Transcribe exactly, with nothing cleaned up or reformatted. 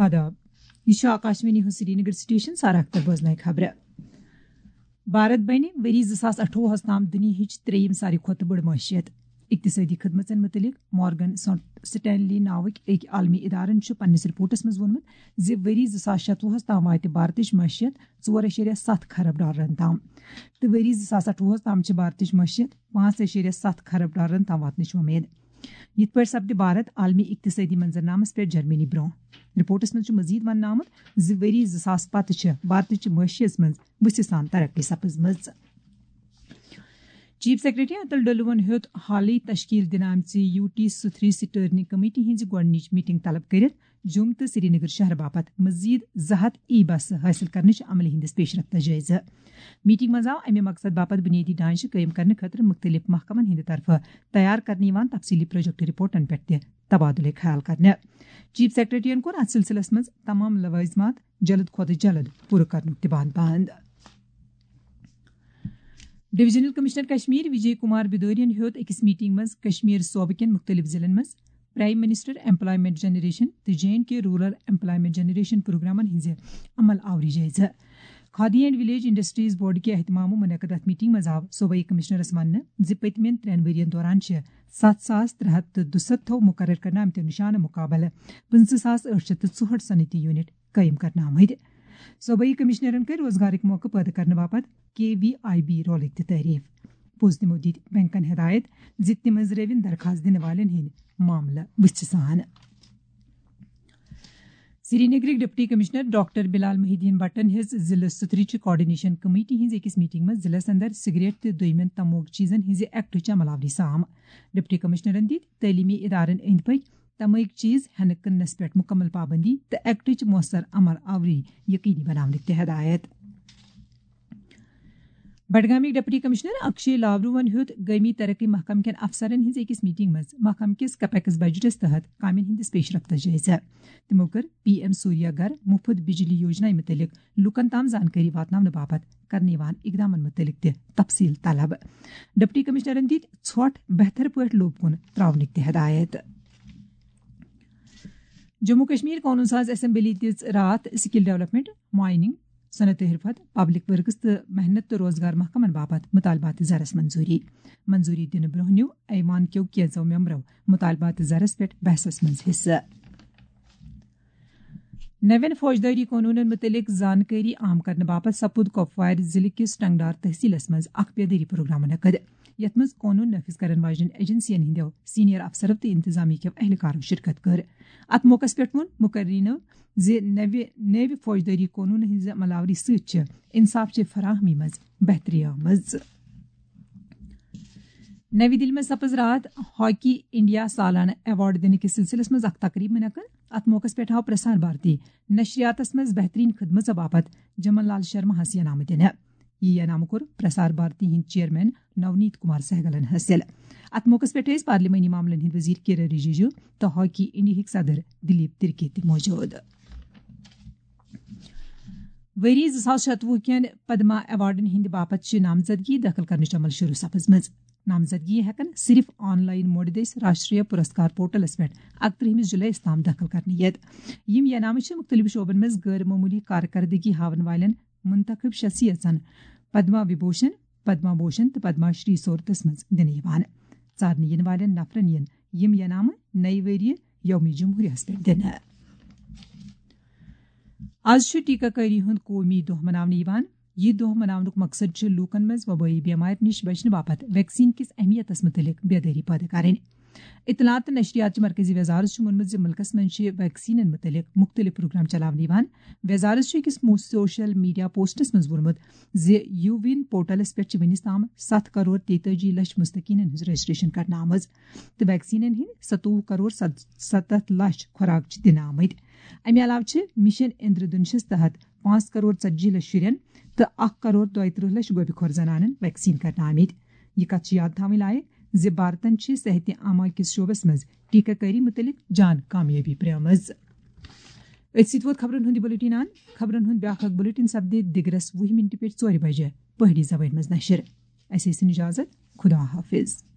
آداب۔ یہ چھُ آکاشوانی ہُنٛد سرینگر سٹیشن، سارا اختر بوزناوِ خبرٕ۔ بھارت بنہِ ؤری زٕ ساس اَٹھووُہس تام دُنیاہٕچ ترٛیٚیِم ساروی کھۄتہٕ بٔڑ معیشت۔ اقتصٲدی خدمژن متعلق مارگن سٹ-، سٹینلی ناوٕکۍ أکۍ عالمی ادارن چھُ پننِس رپورٹس منٛز ووٚنمُت زِ ؤری زٕ ساس شَتوُہس تام واتہِ بھارتٕچ معیشت ژور اَشاریہ ستھ خرب ڈالرن تام، تہٕ ؤری زٕ ساس اَٹھووُہس تام چھِ بھارتٕچ معیشت پانٛژھ اَشاریہ ستھ خرب ڈالرن تام واتنٕچ وۄمید۔ یِتھ پٲٹھۍ سپدِ بھارت عالمی اقتصٲدی منظرنامس پٮ۪ٹھ جرمنی برونٛہہ۔ رپورٹس منٛز چھُ مزید وننہٕ آمُت زِ ؤری زٕ ساس پتہٕ چھِ بھارتٕچ معیشس منٛز وُژھِ سان ترقی سپٕزمٕژ۔ چیف سیکرٹری اتل ڈلوَن ہیوٚت حالٕے تشکیل دِنہٕ آمژِ یو ٹی ستھری سٹیئرنگ کمیٹی ہٕنٛزِ گۄڈٕنِچ میٹنگ طلب کٔرِتھ جوٚم تہٕ سرینگر شہرٕ باپتھ مزید زٕ ہتھ ای بس حٲصِل کرنٕچ عملہِ ہٕنٛدِس پیش رفتس جٲیزٕ۔ میٹنگ منٛز آو امہِ مقصد باپتھ بنیٲدی ڈھانچہٕ قٲیِم کرنہٕ خٲطرٕ مُختٔلِف محکمن ہٕنٛدِ طرفہٕ تیار کرنہٕ یِوان تفصیلی پروجیکٹ رپورٹن پٮ۪ٹھ تہِ تبادلہٕ خیال کرنہٕ۔ چیف سیکرٹریَن کوٚر اتھ سلسلس منٛز تمام لوازمات جلد کھۄتہٕ جلد پوٗرٕ کرنُک تہِ بند بند۔ ڈویژنل کمشنر کشمیر وجے کمار بدوریَن ہیوٚت أکِس میٹنگ منٛز کشمیر صوبہٕ کٮ۪ن مُختٔلِف ضلعن منٛز پرائم منسٹر ایمپلائمنٹ جنریشن تہٕ J and K rural employment generation پروگرامن ہٕنٛزِ عمل آوری جٲیزٕ۔ Khadi and village industries board کہِ اہتمامہٕ منعقد اتھ میٹنگ منٛز آو صوبٲئی کمشنرس وننہٕ زِ پٔتمٮ۪ن ترٛٮ۪ن ؤرین دوران چھِ ستھ ساس ترٛےٚ ہتھ تہٕ دُسَتتھو مُقرر کرنہٕ آمتیو نِشانہٕ مُقابلہٕ پٕنٛژٕہ ساس ٲٹھ شیٚتھ تہٕ ژُہٲٹھ صنعتی یونٹ قٲیِم کرنہٕ آمٕتۍ۔ صوبٲئی کمشنرن کٔرۍ روزگارٕکۍ موقعہٕ پٲدٕ کرنہٕ باپتھ کے وی آئی بی رولٕکۍ تہِ تعریف۔ پوٚز تِمو دِتۍ بینکن ہدایت زِ تِم أنٛزرٲوِن درخاست دِنہٕ والٮ۪ن ہٕنٛدۍ معاملہٕ وُژھِ سان۔ سرینگرٕکۍ ڈپٹی کمشنر ڈاکٹر بلال محی الدین بٹن ہیٚژ ضلعہٕ سترٕچ کوآرڈینیشن کمیٹی ہٕنٛزِ أکِس میٹنگ منٛز ضلعس اندر سگریٹ تہٕ دوٚیمٮ۪ن تموک چیزن ہٕنٛزِ ایکٹٕچ عمل آوری سام۔ ڈپٹی کمشنرن دِتۍ تعلیمی ادارن أنٛدۍ پٔکۍ تموک چیز ہٮ۪نہٕ کٕننس پٮ۪ٹھ مُکمل پابندی تہٕ ایکٹٕچ مؤثر عمل آوری یقینی بناونٕکۍ تہِ ہدایت۔ بڈگامٕکۍ ڈپٹی کمشنر اکشے لاورُوَن ہیوٚت گٲمی ترقی محکمہٕ کٮ۪ن افسرن ہٕنٛزِ أکِس میٹنگ منٛز محکمہٕ کِس کیپیکس بجٹس تحت کامٮ۪ن ہٕنٛدِس پیش رفتس جٲیزٕ۔ تِمو کٔر پی ایم سوریہ گھر مُفت بجلی یوجنا مُتعلق لوٗکن تام زانکٲری واتناونہٕ باپتھ کرنہٕ یِوان اقدامن مُتعلق تہِ تفصیل طلب۔ ڈپٹی کمشنرن دِتۍ ژھۄٹھ بہتر پٲٹھۍ لوٗکھ کُن تراونٕکۍ تہِ ہدایت۔ جموں کشمیر قونوٗن ساز اسمبلی دِژ راتھ سکل ڈیولپمنٹ، مائننگ، صنعت حرفت، پبلک ورکس تہٕ محنت تہٕ روزگار محکمن باپتھ مطالبات زرس منظوری۔ منظوری دِنہٕ برونٛہہ نیوٗ ایوان کیو کینٛژو ممبرو مطالبات زرس پٮ۪ٹھ بحثس منٛز حصہٕ۔ نوین فوجدٲری قونوٗنن مُتعلق زانکٲری عام کرنہٕ باپتھ سپُد کۄپوارِ ضلعہٕ کِس ٹنگڈار تحصیلس منٛز اکھ بیدٲری پروگرام منعقد، یتھ منٛز قونوٗن نافذ کرن واجٮ۪ن ایجنسین ہٕنٛدیو سینئر افسرو تہٕ انتظامیہ کٮ۪و اہلکارو شرکت کٔر۔ اتھ موقعس پٮ۪ٹھ ووٚن مقررینو زِ نوِ، نوِ فوجدٲری قونوٗن ہٕنٛزِ عمل آوری سۭتۍ چھِ انصاف چہِ فراہمی منٛز بہتری آمٕژ۔ نَوِ دِلہِ منٛز سپٕز راتھ ہاکی انڈیا سالانہٕ ایوارڈ دِنہٕ کِس سلسلس منٛز اکھ تقریب منعقد۔ اتھ موقعس پٮ۪ٹھ آو پرسار بھارتی نشریاتس منٛز بہتریٖن خدمژ باپتھ جمن لال شرماہس انعامہٕ دِنہٕ۔ یہِ انعام کوٚر پرسار بھارتی ہٕنٛدۍ چیئرمین نونیت کمار سہگلن حٲصِل۔ اتھ موقعس پٮ۪ٹھ ٲسۍ پارلیمانی معاملن ہٕنٛدۍ وزیر کِرن رجیجو تہٕ ہاکی انڈیہٕکۍ صدر دلیپ ترکی تہِ موجود۔ ؤری زٕ ساس شتوُہ کٮ۪ن پدما ایوارڈن ہٕنٛدِ باپتھ چھِ نامزدگی دٲخل کرنٕچ عمل شروع سپٕزمٕژ۔ نامزدگی ہٮ۪کن صرف آن لائن موڈ دٔسۍ راشٹریہ پرسکار پورٹلس پٮ۪ٹھ اکترٕہمِس جُلایَس تام دٲخل کرنہٕ یِتھ۔ یِم انعامہٕ چھِ مُختٔلِف شعبن منٛز غٲر معموٗلی کارکردگی ہاون والٮ۪ن منتخب شخصیژن پدما وبھوشن، پدما بھوشن تہٕ پدما شری صورتس منٛز دِنہٕ یِوان۔ ژارنہٕ یِنہٕ والٮ۪ن نفرن یِن یِم انعامہٕ نَیہِ ؤریہِ یوم جمہوریہس پٮ۪ٹھ دِنہٕ۔ آز چھُ ٹیکہ کٲری ہُنٛد قومی دۄہ مناونہٕ یِوان۔ یہِ دۄہ مناونُک مقصد چھُ لوٗکن منٛز وبٲیی بیمارِ نِش بچنہٕ باپتھ ویکسین کِس اہمیتس مُتعلق بیدٲری پٲدٕ کرٕنۍ۔ اطلاعات تہٕ نشریات چہِ مرکزی وزارت چھُ ووٚنمُت زِ مُلکَس منٛز چھِ ویکسینَن مُتعلِق مُختٔلِف پروگرام چلاونہٕ یِوان۔ وزارت چھُ أکِس مو-، سوشل میڈیا پوسٹَس منٛز ووٚنمُت زِ یووِن پورٹلَس پٮ۪ٹھ چھِ وُنیُس تام ستھ کرور تیتٲجی لچھ مستحقینَن ہٕنٛز رجسٹریشن کرنہٕ آمٕژ تہٕ ویکسینَن ہٕنٛدۍ ستووُہ کرور ستَتھ لچھ خوراک چھِ دِنہٕ آمٕتۍ۔ اَمہِ علاوٕ چھِ مشن اندرٕ دھنشَس تحت پانٛژھ کرور ژتجی لچھ شُرٮ۪ن تہٕ اکھ کرور دۄیہِ ترٕٛہ لچھ گوپہِ خور زنانَن ویکسین کرنہٕ آمٕتۍ۔ یہِ کتھ چھِ یاد تھاوٕنۍ لایق زِ بھارتن چھِ صحت عامہ کِس شعبس منٛز ٹیکہ کٲری مُتعلق جان کامیٲبی پرٛٲومٕژ۔ أتھۍ سۭتۍ ووت خبرن ہُنٛد یہِ بُلٹن اند۔ خبرن ہُنٛد بیٛاکھ اکھ بُلٹن سپدِ دِگرس وُہہِ منٹہِ پٮ۪ٹھ ژورِ بجہِ۔ پہٲڑی زبٲنۍ منٛز نشر۔ اسہِ ٲسِن اجازت۔ خدا حافظ۔